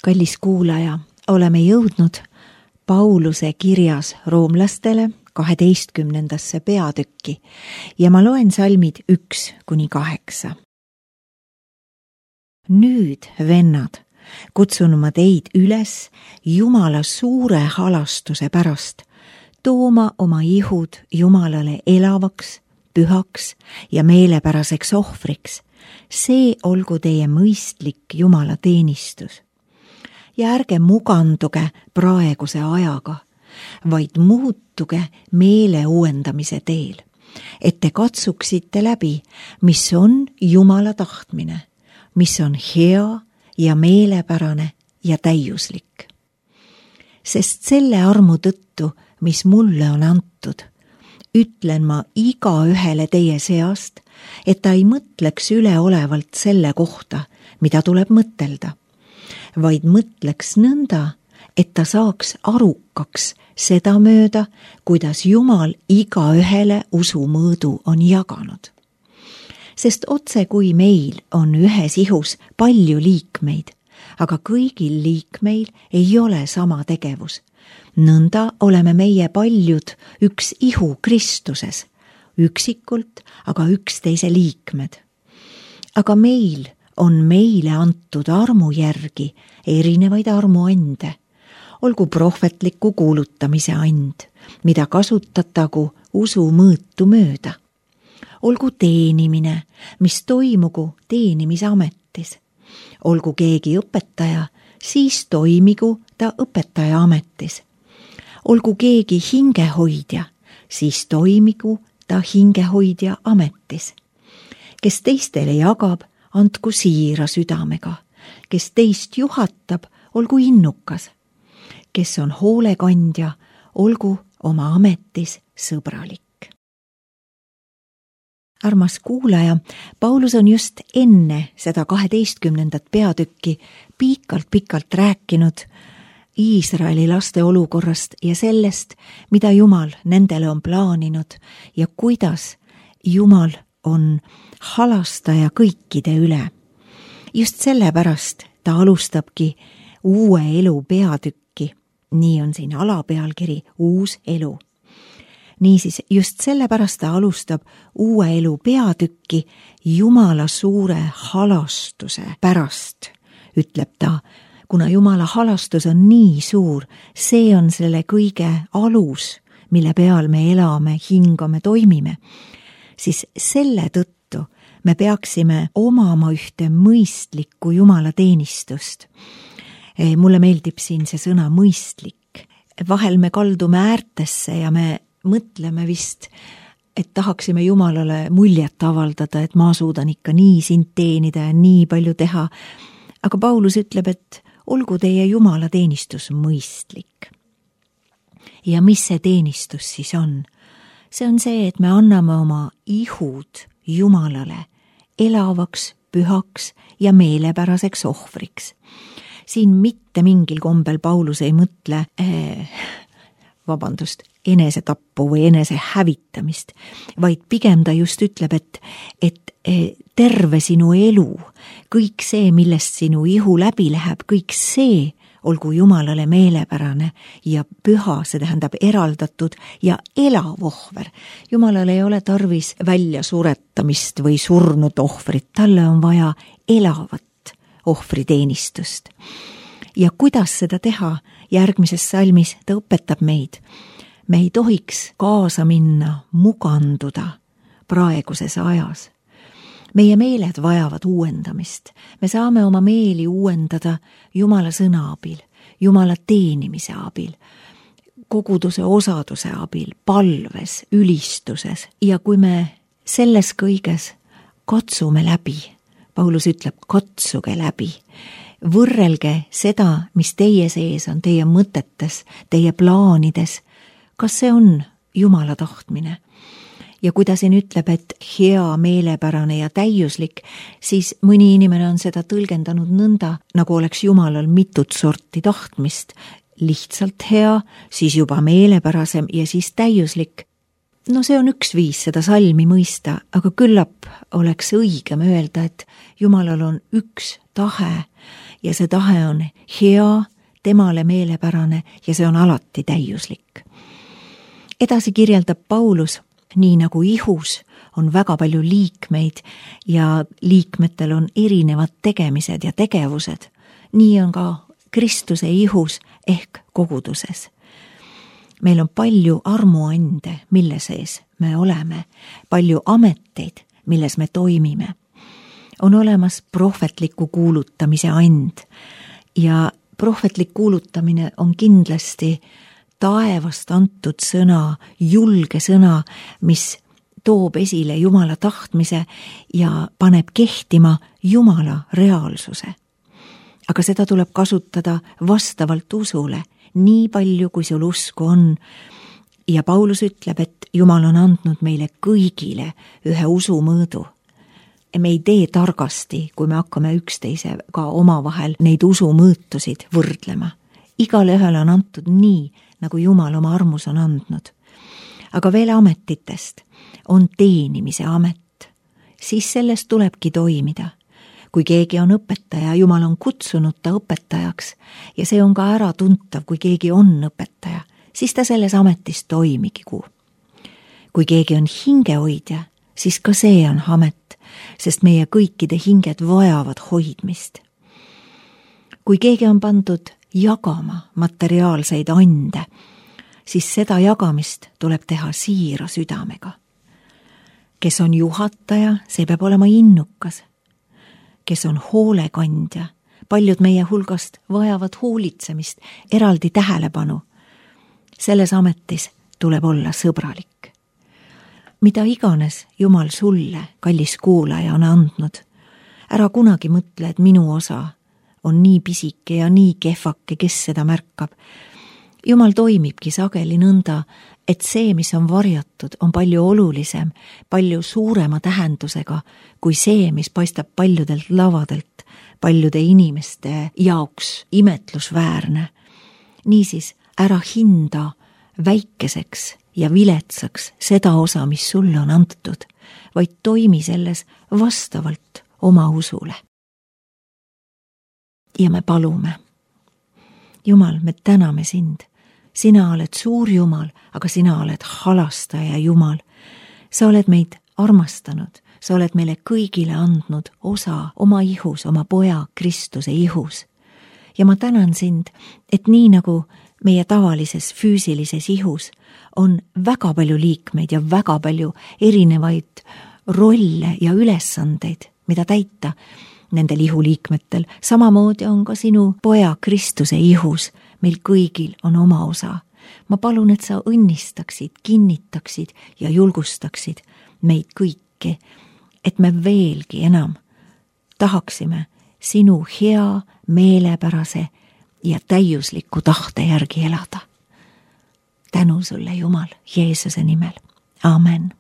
Kallis kuulaja, oleme jõudnud Pauluse kirjas roomlastele 12. peatükki ja ma loen salmid 1-8. Nüüd, vennad, kutsun ma teid üles Jumala suure halastuse pärast tooma oma ihud Jumalale elavaks, pühaks ja meelepäraseks ohvriks. See olgu teie mõistlik Jumala teenistus. Ja ärge muganduge praeguse ajaga, vaid muutuge meele uuendamise teel, et te katsuksite läbi, mis on Jumala tahtmine, mis on hea ja meelepärane ja täiuslik. Sest selle armu tõttu, mis mulle on antud, ütlen ma igaühele teie seast, et ta ei mõtleks üleolevalt selle kohta, mida tuleb mõtelda, vaid mõtleks nõnda, et ta saaks arukaks seda mööda, kuidas Jumal igaühele usumõõdu on jaganud. Sest otse kui meil on ühes ihus palju liikmeid, aga kõigil liikmeil ei ole sama tegevus. Nõnda oleme meie paljud üks ihu Kristuses, üksikult, aga üksteise liikmed. Aga meil on meile antud armu järgi erinevaid armuande, olgu prohvetliku kuulutamise and, mida kasutatagu usumõõtu mööda. Olgu teenimine, mis toimugu teenimisametis. Olgu keegi õpetaja, siis toimigu ta õpetaja ametis. Olgu keegi hingehoidja, siis toimigu ta hingehoidja ametis. Kes teistele jagab, andku siira südamega. Kes teist juhatab, olgu innukas. Kes on hoolekandja, olgu oma ametis sõbralik. Armas kuulaja, Paulus on just enne seda 12. peatükki pikalt rääkinud Iisraeli laste olukorrast ja sellest, mida Jumal nendele on plaaninud ja kuidas Jumal on halastaja kõikide üle. Just sellepärast ta alustabki uue elu peatükki, nii on siin alapealkiri uus elu. Niisiis, just sellepärast ta alustab uue elu peatükki Jumala suure halastuse pärast, ütleb ta, kuna Jumala halastus on nii suur, see on selle kõige alus, mille peal me elame, hingame, toimime, siis selle tõttu me peaksime omama ühte mõistlikku Jumala teenistust. Mulle meeldib siin see sõna mõistlik. Vahel me kaldume äärtesse ja me mõtleme vist, et tahaksime Jumalale muljet avaldada, et ma suudan ikka nii sind teenida ja nii palju teha. Aga Paulus ütleb, et olgu teie Jumala teenistus mõistlik. Ja mis see teenistus siis on? See on see, et me anname oma ihud Jumalale elavaks, pühaks ja meelepäraseks ohvriks. Siin mitte mingil kombel Paulus ei mõtle enesetappu või enese hävitamist, vaid pigem ta just ütleb, et terve sinu elu, kõik see, millest sinu ihu läbi läheb, kõik see olgu Jumalale meelepärane ja püha, see tähendab eraldatud ja elav ohver. Jumalale ei ole tarvis välja suretamist või surnud ohvrit, talle on vaja elavat ohvriteenistust. Ja kuidas seda teha? Järgmises salmis ta õpetab meid. Me ei tohiks kaasa minna, muganduda praeguses ajas. Meie meeled vajavad uuendamist. Me saame oma meeli uuendada Jumala sõna abil, Jumala teenimise abil, koguduse osaduse abil, palves, ülistuses. Ja kui me selles kõiges katsume läbi, Paulus ütleb, katsuge läbi, võrrelge seda, mis teie sees on, teie mõtetes, teie plaanides, kas see on Jumala tahtmine. Ja kui ta siin ütleb, et hea, meelepärane ja täiuslik, siis mõni inimene on seda tõlgendanud nõnda, nagu oleks Jumalal mitut sorti tahtmist. Lihtsalt hea, siis juba meelepärasem ja siis täiuslik. No see on üks viis seda salmi mõista, aga küllap oleks õigem öelda, et Jumalal on üks tahe ja see tahe on hea, temale meelepärane ja see on alati täiuslik. Edasi kirjeldab Paulus, nii nagu ihus on väga palju liikmeid ja liikmetel on erinevad tegemised ja tegevused, nii on ka Kristuse ihus ehk koguduses. Meil on palju armuande, mille sees me oleme, palju ameteid, milles me toimime. On olemas prohvetliku kuulutamise and ja prohvetlik kuulutamine on kindlasti taevast antud sõna, julge sõna, mis toob esile Jumala tahtmise ja paneb kehtima Jumala reaalsuse. Aga seda tuleb kasutada vastavalt usule, nii palju kui sul usku on. Ja Paulus ütleb, et Jumal on andnud meile kõigile ühe usumõõdu. Me ei tee targasti, kui me hakkame üksteisega omavahel neid usumõõtusid võrdlema. Igale ühele on antud nii, nagu Jumal oma armus on andnud. Aga veel ametitest on teenimise amet, siis sellest tulebki toimida. Kui keegi on õpetaja, Jumal on kutsunud ta õpetajaks ja see on ka ära tuntav, kui keegi on õpetaja, siis ta selles ametis toimigigu. Kui keegi on hingehoidja, siis ka see on amet, sest meie kõikide hinged vajavad hoidmist. Kui keegi on pandud jagama materiaalseid ande, siis seda jagamist tuleb teha siira südamega. Kes on juhataja, see peab olema innukas. Kes on hoolekandja, paljud meie hulgast vajavad hoolitsemist, eraldi tähelepanu. Selles ametis tuleb olla sõbralik. Mida iganes Jumal sulle, kallis kuulaja, on andnud, ära kunagi mõtle, et minu osa on nii pisike ja nii kehvake, kes seda märkab. Jumal toimibki sageli nõnda, et see, mis on varjatud, on palju olulisem, palju suurema tähendusega kui see, mis paistab paljudelt lavadelt, paljude inimeste jaoks imetlusväärne. Niisiis, ära hinda väikeseks ja viletsaks seda osa, mis sulle on antud, vaid toimi selles vastavalt oma usule. Ja me palume. Jumal, me täname sind. Sina oled suur Jumal, aga sina oled halastaja Jumal. Sa oled meid armastanud, sa oled meile kõigile andnud osa oma ihus, oma poja Kristuse ihus. Ja ma tänan sind, et nii nagu meie tavalises füüsilises ihus on väga palju liikmeid ja väga palju erinevaid rolle ja ülesandeid, mida täita nendel ihuliikmetel. Samamoodi on ka sinu poja Kristuse ihus. Meil kõigil on oma osa. Ma palun, et sa õnnistaksid, kinnitaksid ja julgustaksid meid kõiki, et me veelgi enam tahaksime sinu hea, meelepärase ja täiusliku tahte järgi elada. Tänu sulle, Jumal, Jeesuse nimel. Amen.